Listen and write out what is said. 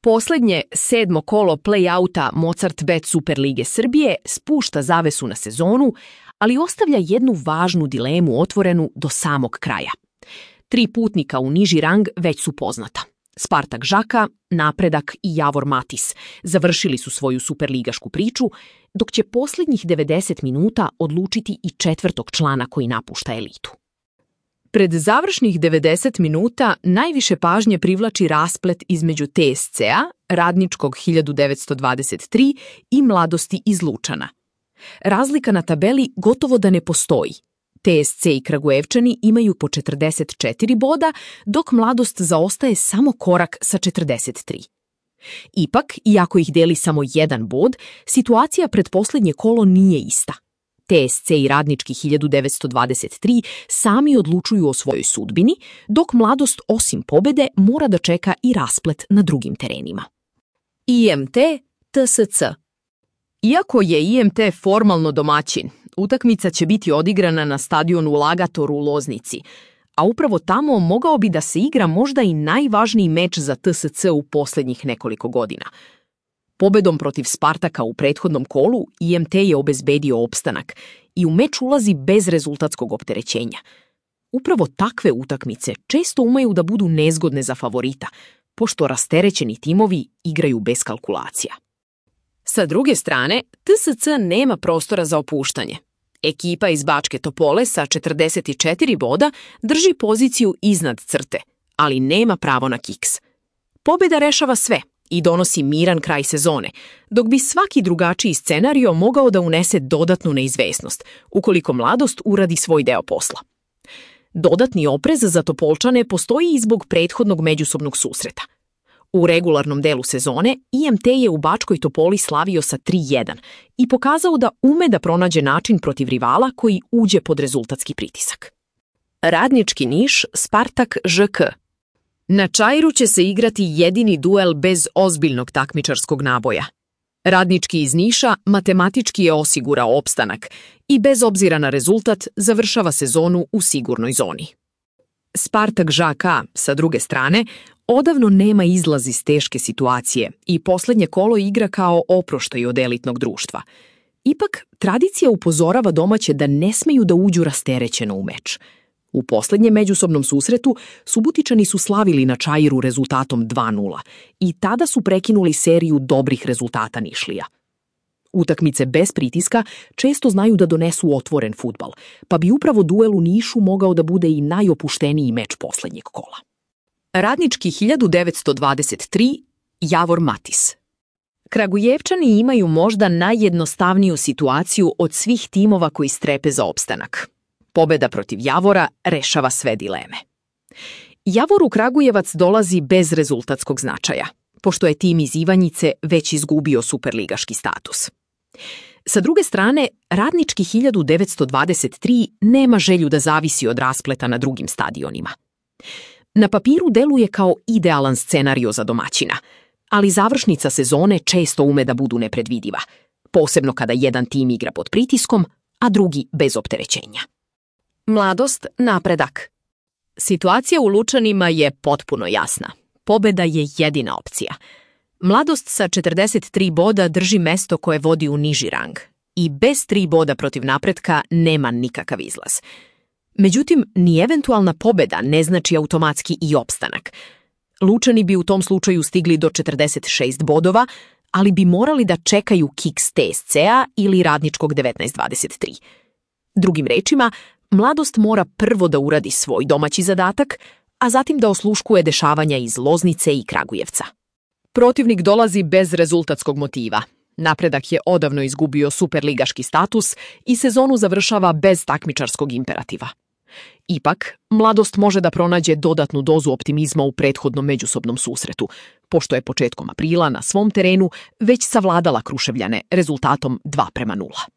Poslednje 7. kolo play-outa Mozart Bet Superlige Srbije spušta zavesu na sezonu, ali ostavlja jednu važnu dilemu otvorenu do samog kraja. 3 putnika u niži rang već su poznata. Spartak Žaka, Napredak i Javor Matis završili su svoju superligašku priču, dok će posljednjih 90 minuta odlučiti i 4. člana koji napušta elitu. Pred završnih 90 minuta najviše pažnje privlači rasplet između TSC-a, Radničkog 1923 i Mladosti iz Lučana. Razlika na tabeli gotovo da ne postoji. TSC i Kragujevčani imaju po 44 boda, dok Mladost zaostaje samo korak sa 43. Ipak, iako ih deli samo jedan bod, situacija pred posljednje kolo nije ista. TSC i Radnički 1923 sami odlučuju o svojoj sudbini, dok Mladost osim pobede mora da čeka i rasplet na drugim terenima. IMT TSC. Iako je IMT formalno domaćin, utakmica će biti odigrana na stadionu Lagator u Loznici, a upravo tamo mogao bi da se igra možda i najvažniji meč za TSC u posljednjih nekoliko godina. Pobedom protiv Spartaka u prethodnom kolu IMT je obezbedio opstanak i u meč ulazi bez rezultatskog opterećenja. Upravo takve utakmice često umeju da budu nezgodne za favorita, pošto rasterećeni timovi igraju bez kalkulacija. Sa druge strane, TSC nema prostora za opuštanje. Ekipa iz Bačke Topole sa 44 boda drži poziciju iznad crte, ali nema pravo na kiks. Pobjeda rešava sve i donosi miran kraj sezone, dok bi svaki drugačiji scenario mogao da unese dodatnu neizvesnost, ukoliko Mladost uradi svoj deo posla. Dodatni oprez za Topolčane postoji i zbog prethodnog međusobnog susreta. U regularnom delu sezone IMT je u Bačkoj Topoli slavio sa 3-1 i pokazao da ume da pronađe način protiv rivala koji uđe pod rezultatski pritisak. Radnički Niš, Spartak ŽK. Na Čairu će se igrati jedini duel bez ozbiljnog takmičarskog naboja. Radnički iz Niša matematički je osigurao opstanak i bez obzira na rezultat završava sezonu u sigurnoj zoni. Spartak ŽK, sa druge strane, odavno nema izlaz iz teške situacije i posljednje kolo igra kao oproštaj od elitnog društva. Ipak, tradicija upozorava domaće da ne smeju da uđu rasterećeno u meč. U posljednjem međusobnom susretu Subotičani su slavili na Čairu rezultatom 2:0 i tada su prekinuli seriju dobrih rezultata Nišlija. Utakmice bez pritiska često znaju da donesu otvoren fudbal, pa bi upravo duel u Nišu mogao da bude i najopušteniji meč posljednjeg kola. Radnički 1923, Javor Matis. Kragujevčani imaju možda najjednostavniju situaciju od svih timova koji strepe za opstanak. Pobeda protiv Javora rešava sve dileme. Javor u Kragujevac dolazi bez rezultatskog značaja, pošto je tim iz Ivanjice već izgubio superligaški status. Sa druge strane, Radnički 1923 nema želju da zavisi od raspleta na drugim stadionima. Na papiru deluje kao idealan scenario za domaćina, ali završnica sezone često ume da budu nepredvidiva, posebno kada jedan tim igra pod pritiskom, a drugi bez opterećenja. Mladost, Napredak. Situacija u Lučanima je potpuno jasna. Pobeda je jedina opcija. Mladost sa 43 boda drži mesto koje vodi u niži rang i bez 3 boda protiv Napretka nema nikakav izlaz. Međutim, ni eventualna pobeda ne znači automatski i opstanak. Lučani bi u tom slučaju stigli do 46 bodova, ali bi morali da čekaju kiks TSC-a ili Radničkog 1923. Drugim rečima, Mladost mora prvo da uradi svoj domaći zadatak, a zatim da osluškuje dešavanja iz Loznice i Kragujevca. Protivnik dolazi bez rezultatskog motiva. Napredak je odavno izgubio superligaški status i sezonu završava bez takmičarskog imperativa. Ipak, Mladost može da pronađe dodatnu dozu optimizma u prethodnom međusobnom susretu, pošto je početkom aprila na svom terenu već savladala Kruševljane rezultatom 2:0.